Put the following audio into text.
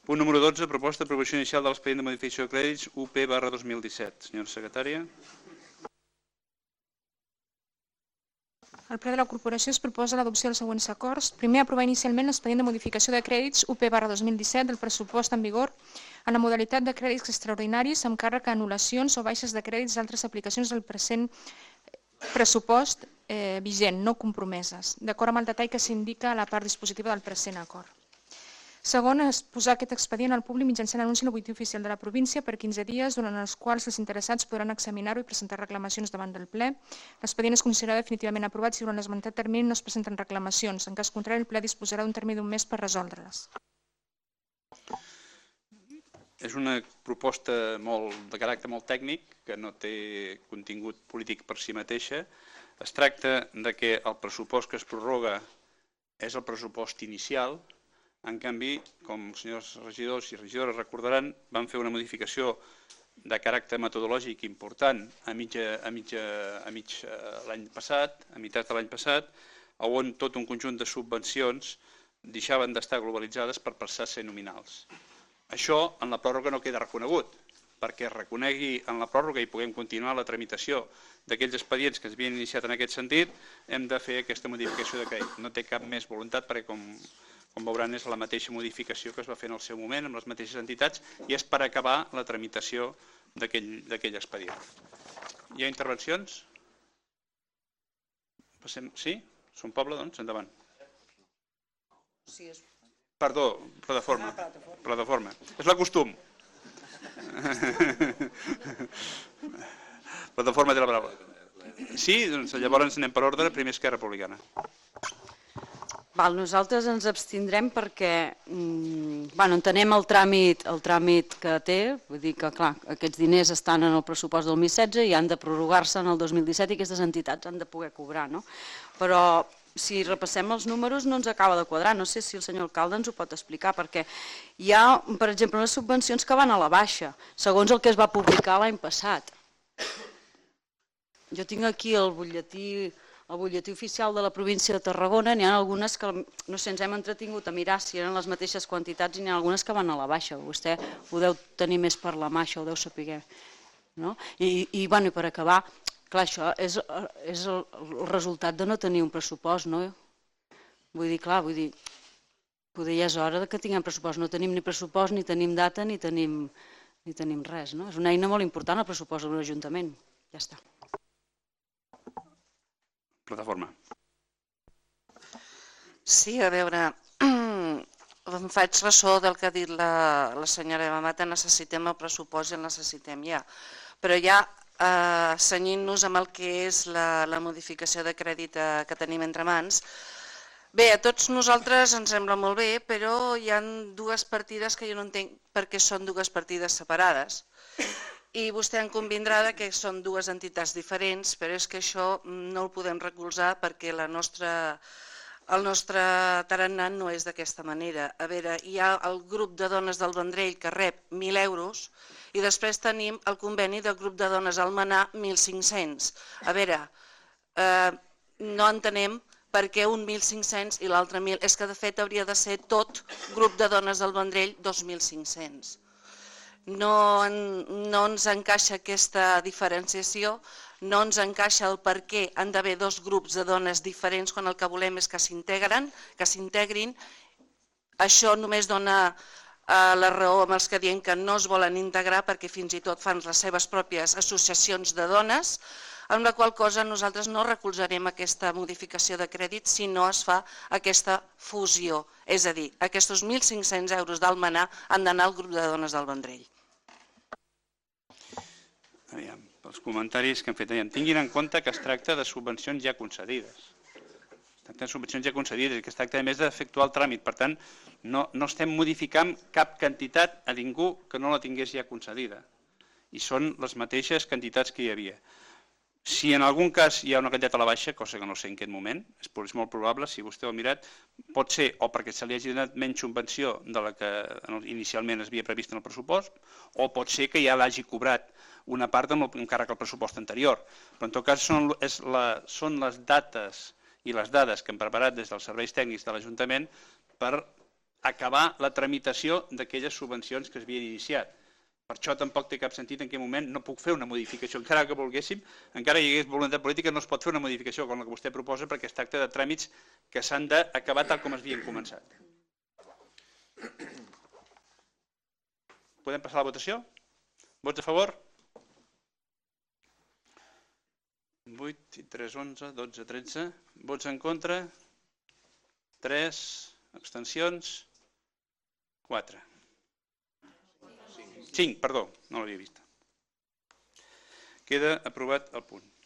Punt número 12, proposta d'aprovació inicial de l'expedient de modificació de crèdits UP/2017. Senyora secretària. Al ple de la corporació es proposa l'adopció dels següents acords. Primer, aprovar inicialment l'expedient de modificació de crèdits UP/2017 del pressupost en vigor en la modalitat de crèdits extraordinaris amb càrrec a anul·lacions o baixes de crèdits d'altres aplicacions del present pressupost vigent, no compromeses, d'acord amb el detall que s'indica a la part dispositiva del present acord. Segon, és posar aquest expedient al públic mitjançant anunci en el butlletí oficial de la província per 15 dies, durant els quals els interessats podran examinar-ho i presentar reclamacions davant del ple. L'expedient es considerarà definitivament aprovat si durant l'esmentat termini no es presenten reclamacions. En cas contrari, el ple disposarà d'un termini d'un mes per resoldre-les. És una proposta de caràcter molt tècnic, que no té contingut polític per si mateixa. Es tracta que el pressupost que es prorroga és el pressupost inicial. En canvi, com els senyors regidors i regidores recordaran, van fer una modificació de caràcter metodològic important a l'any passat, a meitat de l'any passat, on tot un conjunt de subvencions deixaven d'estar globalitzades per passar a ser nominals. Això en la pròrroga no queda reconegut, perquè es reconegui en la pròrroga i puguem continuar la tramitació d'aquells expedients que s'havien iniciat en aquest sentit, hem de fer aquesta modificació de crèdit. No té cap més voluntat perquè, com veuran, és la mateixa modificació que es va fer en el seu moment amb les mateixes entitats i és per acabar la tramitació d'aquell expedient. Hi ha intervencions? Sí? Som poble, doncs? Endavant. Perdó, plataforma. És la costum. Plataforma té la paraula. Sí? Doncs llavors anem per ordre. Primer Esquerra Republicana. Nosaltres ens abstindrem perquè entenem el tràmit que té, vull dir que clar, aquests diners estan en el pressupost del 2016 i han de prorrogar-se en el 2017 i aquestes entitats han de poder cobrar, no? Però si repassem els números no ens acaba de quadrar, no sé si el senyor alcalde ens ho pot explicar, perquè hi ha, per exemple, unes subvencions que van a la baixa, segons el que es va publicar l'any passat. Jo tinc aquí el butlletí oficial de la província de Tarragona, n'hi ha algunes que, no sé, ens hem entretingut a mirar si eren les mateixes quantitats i n'hi ha algunes que van a la baixa. Vostè ho deu tenir més per la mà, això ho deu saber. I per acabar, clar, això és el resultat de no tenir un pressupost, no? Vull dir, poder ja és hora que tinguem pressupost. No tenim ni pressupost, ni tenim data, ni tenim res, no? És una eina molt important el pressupost d'un ajuntament. Ja està. Plataforma. Sí, a veure, em faig ressò del que ha dit la senyora Eva Mata, necessitem el pressupost i el necessitem ja. Però ja cenyint-nos amb el que és la modificació de crèdit que tenim entre mans, bé, a tots nosaltres ens sembla molt bé, però hi ha dues partides que jo no entenc perquè són dues partides separades. I vostè en convindrà que són dues entitats diferents, però és que això no el podem recolzar perquè el nostre tarannà no és d'aquesta manera. A veure, hi ha el grup de dones del Vendrell que rep 1.000 euros i després tenim el conveni del grup de dones Almenar 1.500. A veure, no entenem per què un 1.500 i l'altre 1.000. És que de fet hauria de ser tot grup de dones del Vendrell 2.500. No ens encaixa aquesta diferenciació, no ens encaixa el per què han d'haver dos grups de dones diferents quan el que volem és que s'integrin. Això només dona la raó amb els que diuen que no es volen integrar perquè fins i tot fan les seves pròpies associacions de dones, amb la qual cosa nosaltres no recolzarem aquesta modificació de crèdit si no es fa aquesta fusió. És a dir, aquests 1.500 euros d'Almenar han d'anar al grup de dones del Vendrell. Els comentaris que hem fet. Tinguin en compte que es tracta de subvencions ja concedides. Es tracta de subvencions ja concedides i que es tracta a més d'efectuar el tràmit. Per tant, no estem modificant cap quantitat a ningú que no la tingués ja concedida. I són les mateixes quantitats que hi havia. Si en algun cas hi ha una quantitat a la baixa, cosa que no sé en aquest moment, és molt probable, si vostè ho ha mirat, pot ser o perquè se li hagi donat menys subvenció de la que inicialment es havia previst en el pressupost, o pot ser que ja l'hagi cobrat una part amb càrrec al pressupost anterior. Però en tot cas són les dates i les dades que hem preparat des dels serveis tècnics de l'Ajuntament per acabar la tramitació d'aquelles subvencions que s'havien iniciat. Per això tampoc té cap sentit en què moment no puc fer una modificació. Encara que volguéssim, encara hi hagués voluntat política, no es pot fer una modificació com la que vostè proposa perquè es tracta de tràmits que s'han d'acabar tal com es havien començat. Podem passar a la votació? Vots a favor? 8 i 3, 11, 12, 13. Vots en contra? 3. Abstencions? 4. 5, perdó, no l'havia vist. Queda aprovat el punt.